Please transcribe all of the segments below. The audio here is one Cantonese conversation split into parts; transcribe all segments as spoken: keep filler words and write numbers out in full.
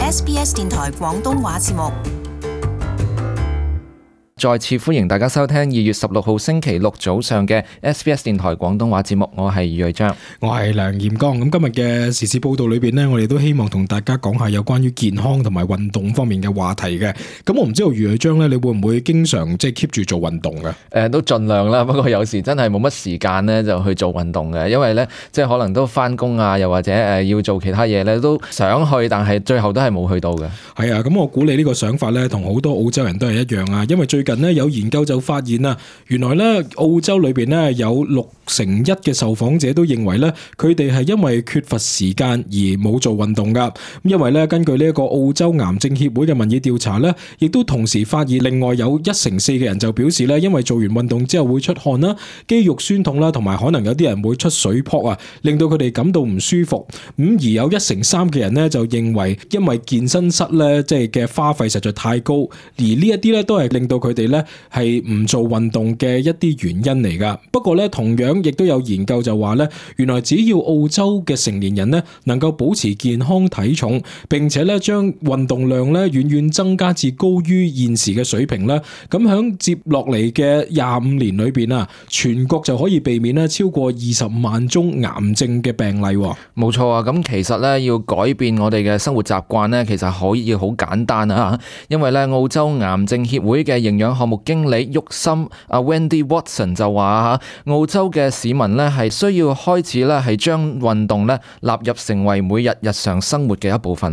S B S 電台廣東話節目。再次歡迎大家收聽二月十六號星期六早上嘅 S B S 電台廣東話節目，我係余瑞章，我係梁彥剛。咁今日嘅時事報道裏邊呢，我哋都希望同大家講下有關於健康同埋運動方面嘅話題嘅。咁我唔知道余瑞章呢，你會唔會經常即係 keep 住做運動嘅？誒、呃，都盡量啦，不過有時真係冇乜時間呢，就去做運動嘅，因為呢，即係可能都翻工啊，又或者誒要做其他嘢呢，都想去，但係最後都係冇去到嘅。係啊，咁我估你呢個想法呢，同好多澳洲人都係一樣啊，因為最近呢，有研究就發現啊，原來呢，澳洲裏邊呢，有六成一嘅受訪者都認為呢，佢哋係因為缺乏時間而冇做運動噶。因為呢，根據呢一個澳洲癌症協會嘅民意調查呢，亦都同時發現另外有一成四嘅人就表示呢，因為做完運動之後會出汗啦、肌肉酸痛啦，同埋可能有啲人會出水泡啊，令到佢哋感到唔舒服。咁而有一成三嘅人呢，就認為因為健身室呢，即係嘅花費實在太高，而呢一啲呢，都係令到佢哋呢。係唔做運動嘅一啲原因嚟噶。不過咧，同樣亦都有研究就話咧，原來只要澳洲嘅成年人咧能夠保持健康體重，並且咧將運動量咧遠遠增加至高於現時嘅水平咧，咁響接落嚟嘅廿五年裏邊啊，全國就可以避免咧超過二十萬宗癌症嘅病例。冇錯啊，咁其實咧要改變我哋嘅生活習慣咧，其實可以好簡單啊，因為咧澳洲癌症協會嘅營養項目經理郁森阿 Wendy Watson 就話吓，澳洲嘅市民咧係需要開始咧係將運動咧納入成為每日日常生活嘅一部分。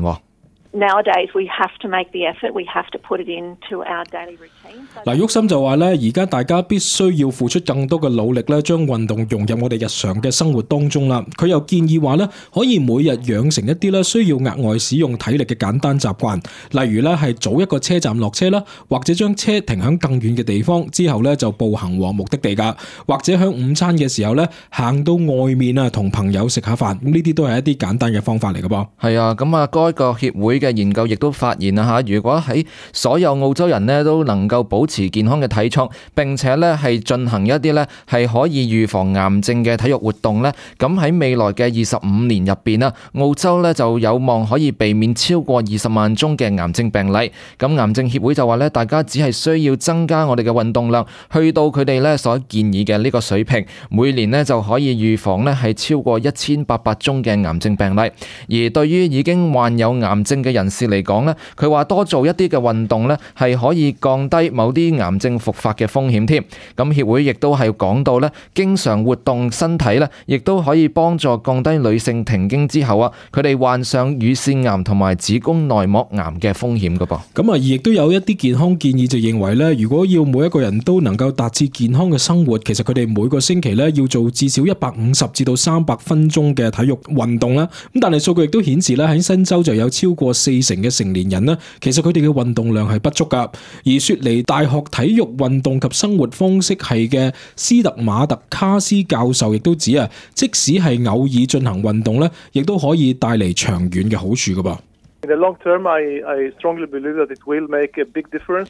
Nowadays, we have to make the effort. We have to put it into our daily routine. 嗱，郁森就話咧，而家大家必須要付出更多嘅努力咧，將運動融入我哋日常嘅生活當中啦。佢又建議話咧，可以每日養成一啲咧需要額外使用體力嘅簡單習慣，例如咧係早一個車站落車啦，或者將車停響更遠嘅地方，之後咧就步行往目的地噶，或者響午餐嘅時候咧行到外面啊，同朋友食下飯。咁呢啲都係一啲簡單嘅方法嚟噶噃。係啊，咁啊，該個協會嘅研究亦都發現啊吓，如果喺所有澳洲人咧都能夠保持健康嘅體重，並且咧係進行一啲咧係可以預防癌症嘅體育活動咧，咁喺未來嘅二十五年入邊啊，澳洲咧就有望可以避免超過二十萬宗嘅癌症病例。咁癌症協會就話咧，大家只係需要增加我哋嘅運動量，去到佢哋咧所建議嘅呢個水平，每年咧就可以預防咧係超過一千八百宗嘅癌症病例。而對於已經患有癌症嘅人士嚟講咧，佢話多做一啲嘅運動咧，係可以降低某啲癌症復發嘅風險添。咁協會亦都係講到咧，經常活動身體咧，亦都可以幫助降低女性停經之後啊，佢哋患上乳腺癌同埋子宮內膜癌嘅風險噶噃。咁啊，亦都有一啲健康建議就認為咧，如果要每一個人都能夠達至健康嘅生活，其實佢哋每個星期咧要做至少一百五十至到三百分鐘嘅體育運動啦。咁但係數據亦都顯示咧，喺新州就有超過四成嘅成年人咧，其實佢哋嘅運動量係不足噶。而雪梨大學體育運動及生活方式系嘅斯特馬特卡斯教授亦都指啊，即使係偶爾進行運動咧，亦都可以帶嚟長遠嘅好處噶噃。In the long term, I, I strongly believe that it will make a big difference.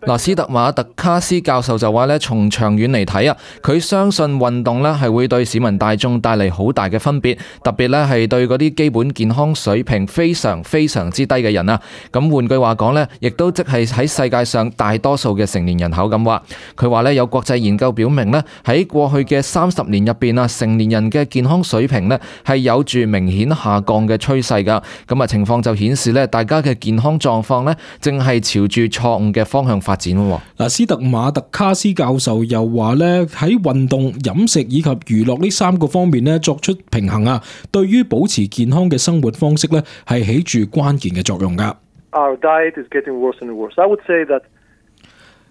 嗱，斯特馬特卡斯教授就話咧，從長遠嚟睇啊，佢相信運動咧係會對市民大眾帶嚟好大嘅分別，特別咧係對嗰啲基本健康水平非常非常之低嘅人啊。咁換句話講咧，亦都即係喺世界上大多數嘅成年人口咁話。佢話咧，有國際研究表明咧，喺過去嘅三十年入邊啊，成年人嘅健康水平咧係有住明顯下降嘅趨勢噶。咁啊，情況就顯示咧，大家嘅健康狀況咧正係朝住錯誤嘅方向發展。嗱，斯特馬特卡斯教授又話咧，喺運動、飲食以及娛樂呢三個方面咧作出平衡啊，對於保持健康嘅生活方式咧係起住關鍵嘅作用噶。Our diet is getting worse and worse. I would say that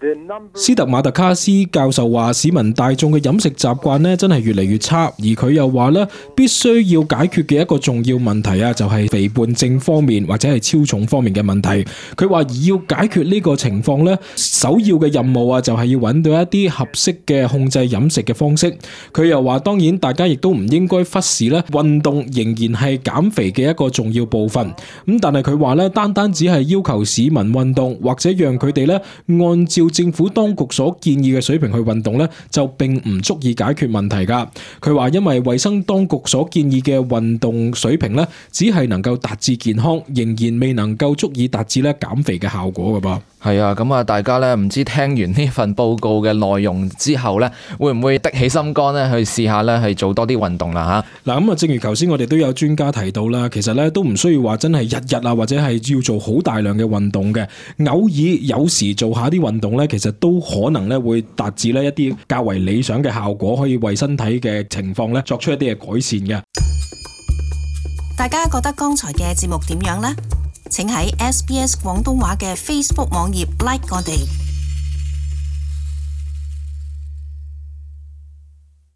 number... 斯特馬特卡斯教授話，市民大眾嘅飲食習慣咧真係越嚟越差，而佢又話咧，必須要解決嘅一個重要問題啊，就係肥胖症方面或者係超重方面嘅問題。佢話要解決呢個情況咧，首要嘅任務啊，就係要揾到一啲合適嘅控制飲食嘅方式。佢又話，當然大家亦都唔應該忽視咧，運動仍然係減肥嘅一個重要部分。咁但係佢話咧，單單只係要求市民運動或者讓佢哋咧按照政府當局所建議嘅水平去運動呢，就並唔足以解決問題噶。佢話因為衛生當局所建議嘅運動水平呢，只係能夠達至健康，仍然未能夠足以達至咧減肥嘅效果噶噃。係啊，咁啊，大家咧唔知聽完呢份報告嘅內容之後咧，會唔會的起心肝咧去試下咧係做多啲運動啦吓？嗱，咁啊，正如頭先我哋都有專家提到啦，其實咧都唔需要話真係日日啊，或者係要做好大量嘅運動嘅，偶爾有時做下啲運動咧，其實都可能咧會達至咧一啲較為理想嘅效果，可以為身體嘅情況咧作出一啲嘅改善嘅。大家覺得剛才嘅節目點樣呢？請喺 S B S 廣東話嘅 Facebook 網頁 like 我哋。